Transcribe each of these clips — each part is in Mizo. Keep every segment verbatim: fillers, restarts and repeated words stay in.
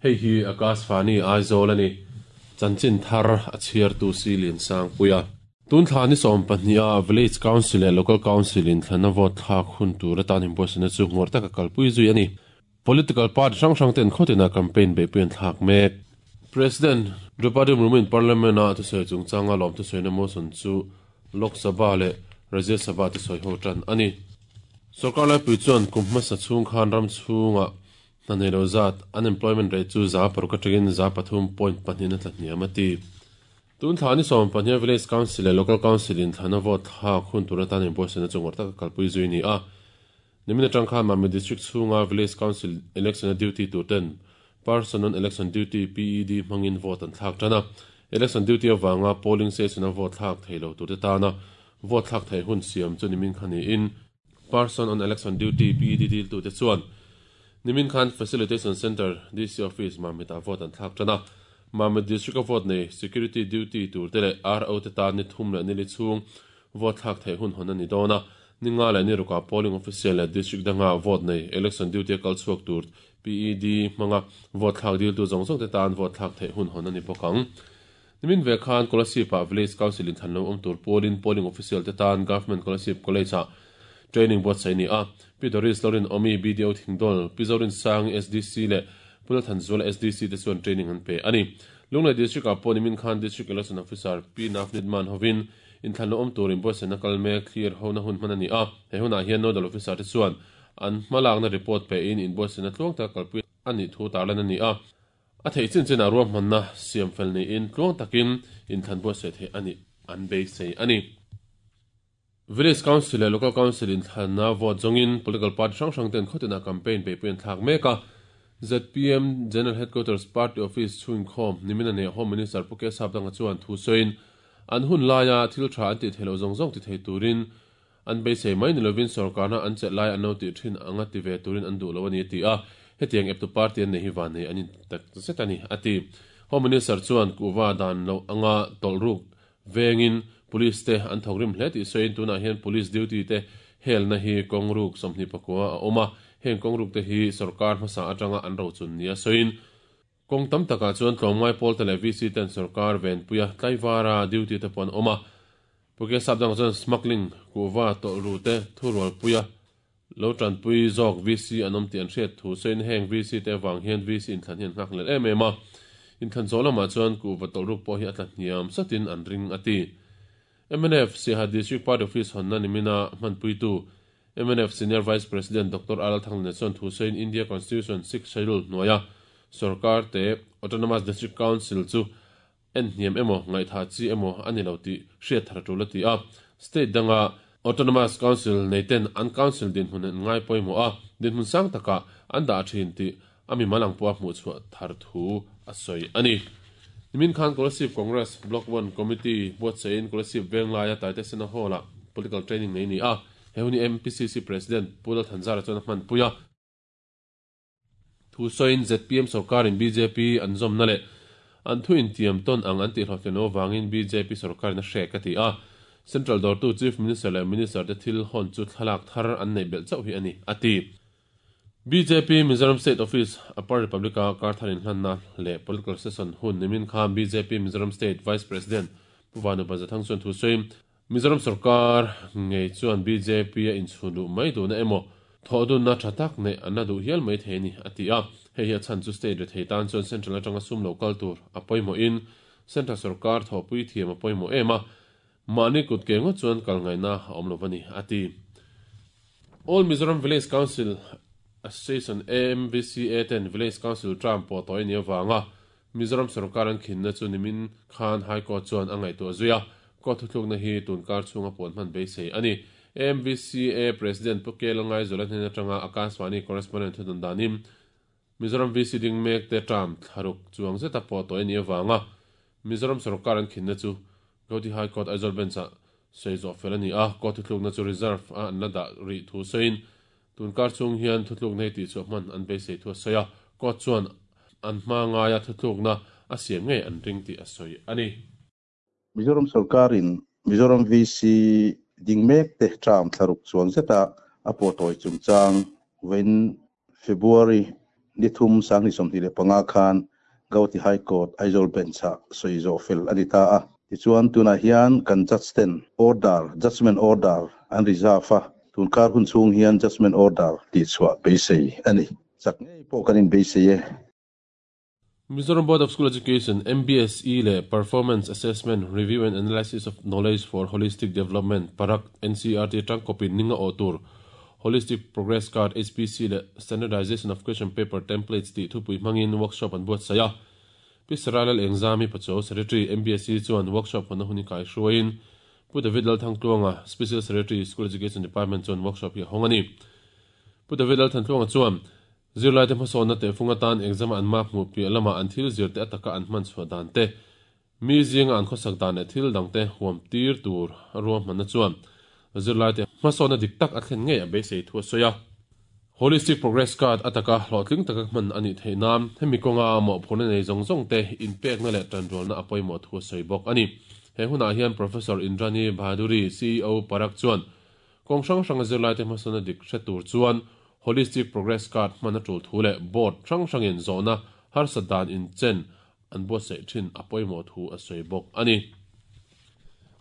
Hei hi Akashvani Aizawl a ni. Chanchin thar a chhiartu si Liansangpuia. Tun thla ni sawm pahnih a Village Council leh Local Council in thlanna vote thlak hun tur atan inbuatsaihna chu ngawr taka kalpui zui a ni. Political party hrang hrang ten khawtina campaign beihpui an thlak mek. President Draupadi Murmu in Parliament a thusawi chungchanga lawm thusawina motion chu Lok Sabha leh Rajya Sabha te sawi ho tan a ni. Sorkar laipui chuan kum hmasa chhung khan ram chhunga hna nei lo zat unemployment rate chu za paruk atangin za pathum point pahnih na tla hniam a ti. Tun thla ni sawm pahnih Village Council leh Local Council in thlana vote thlak hun tur atan inbuatsaihna chu ngawr taka kalpui zui ni a. Nimin atang khan Mamit District chhunga Village Council election a duty tur ten Person on Election Duty P E D hmangin vote an thlak tan a. Election duty awanga polling station a vote thlak thei lo tur te tana vote thlak thei hun siam chu nimin khan ni in Person on Election Duty P E D dil tu te chuan nimin khan Facilitation Center D C Office Mamit ah vote an thlak tan a. Mamit District a vote nei security duty tur te leh R O te tan ni thum leh nili chhung vote thlak thei hun hon ani dawn a. Ninga leh ni ruka polling official leh district danga vote nei election duty a kal chhuak tur P E D hmanga vote thlak dil tu zawng zawng te tan vote thlak thei hun hon ani bawk ang. Nimin ve khan Kolasib ah Village Council in thlan lo awm tur polling polling official te tan Government Kolasib College ah training buatsaih ni a. Pi Doris Lorin Omi B D O Thingdawl, Pi Zorin Sang S D C leh Pula Thanzuala S D C te chuan training an pe ani. Lunglei District ah pawh nimin khan District Election Officer P Navneet Man hovin in thlan lo awm tur in buatsaihna kal mek clear ho na hun hman ani a. He hunah hian nodal officer te chuan an hmalakna report pe in in buatsaihna tluang tak kalpui ani thu tarlan ani a. A thei chin chin a ruam hmanna siam fel ni in tluang takin in thlan buatsaih thei ani an beisei ani. Village Council leh Local Council in thlanna vote zawngin political party hrang hrang ten khawtina campaign beihpui an thlak mek a. Z P M General Headquarters Party Office chhung khawm nimin a nei Home Minister Pu K Sapdanga chuan thu sawiin an hun laia thil tha an ti theilo zawng zawng ti thei turin an beisei mai ni lovin sorkarna an chelh lai an lo ti thin anga ti ve turin an duh lo ani ti a. Hetiang eptu party an nei hi van nei ani tak zet ani ati. Home Minister chuan kuwa dan lo anga tawlruk vengin police te an thawk rim hle tih sawiin tunah hian police duty te helna hi kawngruk sawmhnih pakua a awm a. Heng kawngruk te hi sarkar hmasa atanga an ro chun nia sawiin kawng tam takah chuan tlawmngai pawl te leh V C ten sarkar venpuia tlaivara duty te pawh an awm a. Pu K Sapdanga chuan smuggling kuwa tawlru te thurualpuia lo tanpui zawk V C an awm tih an hriat thu sawiin heng V C te avang hian V C inthlan hi an nghak lel em em a. Inthlan zawh lamah chuan kuwa tawlruk pawh hi a tla hniam satin an ring ati. M N F Siaha District Party Office honna nimina hmanpuitu M N F Senior Vice President Doctor R L Thangliana chuan thu sawiin India Constitution six Schedule hnuaia sarkar te Autonomous District Council chu en hniam emaw ngaihtha chi emaw ani lo tih hriat thar tul a ti a. State danga Autonomous Council nei ten an council dinhmun an ngai pawimawh a dinhmun sang taka an dah thin tih ami malang pawh a hmuh chhuah thar thu a sawi ani. Nimin khan Kolasib Congress Block one Committee buatsain Kolasib Venglaia Taite Sena Hall ah political training nei ni a. He huni M P C C President Pu Lal Thanzara chuan a hmanpui a. Thu sawiin Z P M sarkarin B J P an zawmna leh an thu intiam tawn ang an tihhlawhtlin lo awangin B J P sarkarin a hrek a ti a. Central dawrtu Chief Minister leh Minister te thil hawn chu thlalak thar an nei belh chauh hi ani ati. B J P Mizoram State Office Upper Republic-a karthar inhlanna leh political session hun nimin khan B J P Mizoram State Vice President Pu Vanu Bazathang chuan thu sawiin Mizoram sarkar ngei chuan B J P a inchhun duh mai duhna emaw thawh dunna tha tak nei an la duh hial mai thei ni a ti a. Hei hi a chhan chu state re thei tan chuan central atanga sum lo kal tur a pawimawh in central sarkar thawhpui thiam a pawimawh em a. Mahni kut ke ngawt chuan kal ngaihna a awm lo ani a ti. All Mizoram Village Council Association A M V C A ten Village Council term pawh tawh ni awanga Mizoram sarkar an khinna chu nimin khan High Court chuan a ngaihtuah zuia. Court thutlukna hi tun kar chhunga puan hman beisei ani. A M V C A President Pu K Lalngai Zola hnen atanga Akashvani correspondent thudun danin Mizoram V C ding mek te term thlaruk chuang zeta pawh tawh ni awanga Mizoram sarkar an khinna chu Gauhati High Court Aizawl Bench ah sei zawh fel ani a. Court thutlukna chu reserve a an la dah ri thu sawiin tun kar chung hian thutluk nei tih chu hman an beisei thu a sawi a. Court chuan an hma ngaia thutlukna a siam ngei an ring tih a sawi ani. Mizoram sarkarin Mizoram V C ding mek te term thlaruk chuang zeta a pawh tawi chungchang wen February Ni thum sang ni som ti le panga khan Gauhati High Court Aizawl bench a soizo fel ani ta a. Ti chuan tuna hian kan judge ten order judgment order an reserve a tun kar hun chung hian judgment order ti chua beisei ani chak ngei pawh kan in beisei e. Mizoram Board of School Education M B S E le Performance Assessment Review and Analysis of Knowledge for Holistic Development Parak N C R T tang copy ninga otur Holistic Progress Card H P C le Standardization of Question Paper Templates ti thupui mangin workshop an buat saya Pisaralal Exami Pacho Secretary M B S E chuan workshop hona huni kai hruain Pu David Lalthangtluanga Special Secretary School Education Department chuan workshop hi hongani Pu David Lalthangtluanga chuan zirlai te hmasawnna te funga tan exam an mark hmuh piah lama an thil zir te ataka an hman chhuah dan te mi zinga an khawsak dan leh thil dang te huam tir tur ruam hmanna chuan zirlai te hmasawnna dik tak a thlen ngei a beisei thu a sawi a. Holistic Progress Card ataka hlawhtling taka hman ani theih nan hemi kawnga mawhphurhna nei zawng zawng te inpekna leh tanrualna a pawimawh thu a sawi bawk ani. He hunah hian Professor Indrani Bhaduri C E O Parak chuan kawng hrang hranga zirlai te hmasawnna dik hre tur chuan Holistic Progress Card hman a tul thu leh board hrang hrangin zawhna harsa dan in chen an buatsaih thin a pawimawh thu a sawi bawk ani.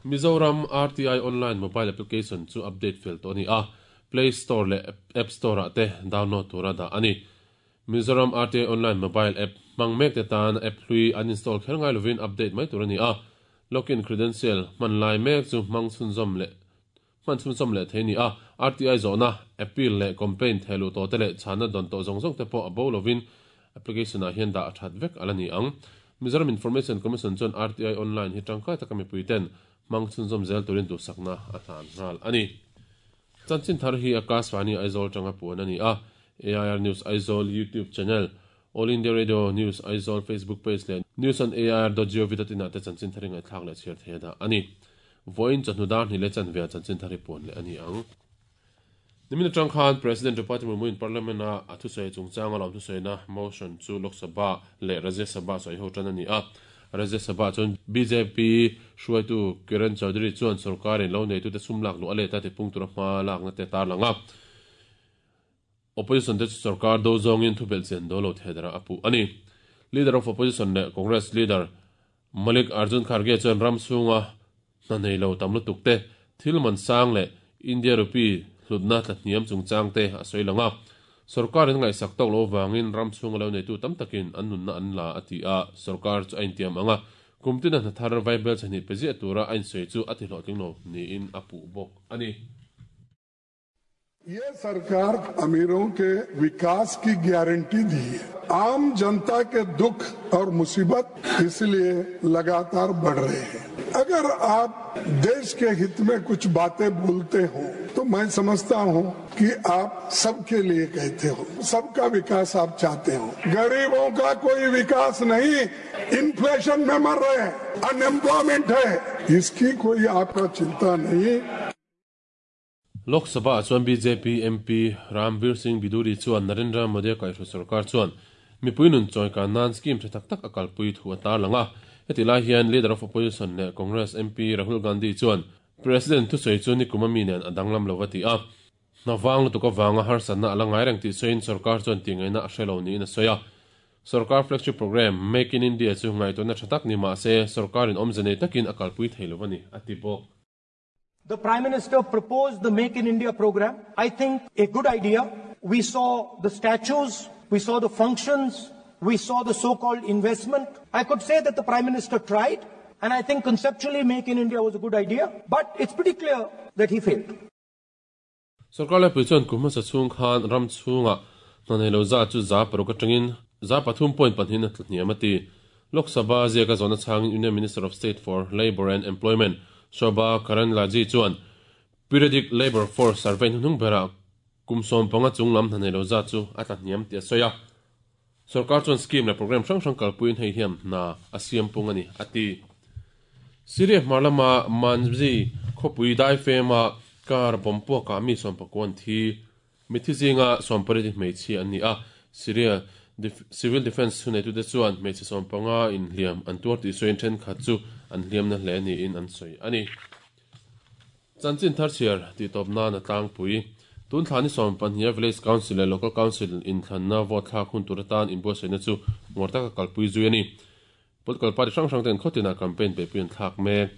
Mizoram R T I online mobile application chu update fel tawh ani a Play Store leh App Store ah te download tura dah ani. Mizoram R T I online mobile app hmang mek te tan app hlui uninstall kher ngai lovin update mai tur ani a. Login credential hman lai mek chu hmang chhunzawm leh hman chhunzawm leh thei ni a. R T I zawhna appeal leh complaint theilu tawh te leh chhana dawn tawh zawng zawng te pawh a bo lovin application ah hian dah a that vek ala ni ang. Mizoram Information Commission chuan R T I online hi tangkai taka mipui ten hmang chhunzawm zel turin duhsakna a hlan nghal ani. Chanchin thar hi Akashvani Aizawl tanga puan ani a. A I R News Aizawl YouTube channel, All India Radio News Aizawl Facebook page leh news on A I R dot gov dot in ah te chanchin thar ngai thlak leh chhiar thei da ani. Voin chawhnu dar hnih leh chanve ah chanchin thar hi puan leh ani ang. Nimina tang khan President Draupadi Murmu in Parliament a a thusawi chungchang a lawm thusawi na motion chu Lok Sabha leh Rajya Sabha sawi ho tan ani a. Rajya Sabha chuan B J P hruaitu Kiran Chaudhary chuan sarkarin lo nei tu te sum lak lu a leta ti pung tura hma lakna te tar langa. Opposition te chu sarkar do zawngin thubel chen do lo thedara apu ani. Leader of Opposition leh Congress leader Malik Arjun Kharge chuan ram chhunga hna nei lo tam lutuk te thil man sang leh India rupee hlutna tla hniam chungchang te a sawi langa. Sarkarin ngaihsak tawk lo wangin ram chhunga lo nei tu tam takin an nunna an la a ti a. Sarkar chu a intiam anga kumtina hna thar vaibel chhani pe zia tura a insawi chu a ti hlawhtling lo niin a puh bawk ani. ये सरकार अमीरों के विकास की गारंटी दी है, आम जनता के दुख और मुसीबत इसलिए लगातार बढ़ रहे हैं। अगर आप देश के हित में कुछ बातें बोलते हो तो मैं समझता हूँ कि आप सबके लिए कहते हो, सबका विकास आप चाहते हो। गरीबों का कोई विकास नहीं, इन्फ्लेशन में मर रहे हैं, अनएम्प्लॉयमेंट है, इसकी कोई आपका चिंता नहीं। Lok Sabha chuan B J P M P Ramveer Singh Biduri chuan Narendra Modi kaihhruai sarkar chuan mipui nun chawi kan nan scheme tha tak tak a kalpui thu a tar langa. Heti lai hian Leader of Opposition leh Congress M P Rahul Gandhi chuan President thusawi chu ni kum ami nen a danglam lo ti a. Hnawang lutuk awanga harsatna ala ngai reng tih sawiin sarkar chuan ti ngaihna a hrelo niin a sawi a. Sarkar flagship program Make in India chu ngaihtuahna tha tak ni mah se sarkarin awmze nei takin a kalpui thei lo ani a ti bawk. The Prime Minister proposed the Make in India program. I think a good idea. We saw the statues, we saw the functions, we saw the so-called investment. I could say that the Prime Minister tried, and I think conceptually Make in India was a good idea, but it's pretty clear that he failed. Sarkar lai pui chuan kum hmasa chhung khan ram chhunga hna nei lo za chu za paruk atangin za pathum point pahnih na hniam a ti. Lok Sabha ziaka zawhna chhangin Union Minister of State for Labour and Employment Shobha Karandlaje chuan Periodic Labour Force Survey hnung bera kum sawm panga chung lam hna nei lo za chu a tla hniam ti a sawi a. Sarkar chuan scheme leh program hrang hrang kalpuiin hei hiam hna a siam pung ani a ti. Syria hmar lama Manzi khawpui dai fema kar bomb puaka mi sawm pakuan thi mithi zinga sawm pariat hmeichhia an ni a. Syria Civil Defense hunei tu te chuan hmeichhe sawm panga in hliam an tuar tih sawiin thenkhat chu an hliamna hle niin an sawi ani. Chanchin thar chhiar ti tawp nan a tlangpui. Tun thlani som pahnih Village Council leh Local Council inthlanna vote thlak hun tur atan inbuatsaihna chu ngawrh taka kalpui zui a ni. Political party hrang hrang ten khawtina campaign beihpui an thlak mek.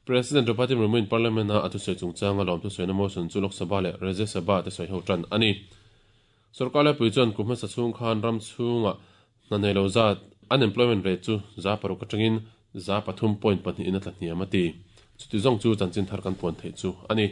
President Draupadi Murmu in Parliament a thusawi chungchanga lawm thusawi motion chu Lok Sabha leh Rajya Sabha te sawi ho tan ani. Sarkar laipui chuan kum hmasa chhung khan ram chhunga hna nei lo zat unemployment rate chu za paruk atangin za pathum point pahnih in a tla hniam a ti. Chuti zawng chu chanchin thar kan puan theih chu ani.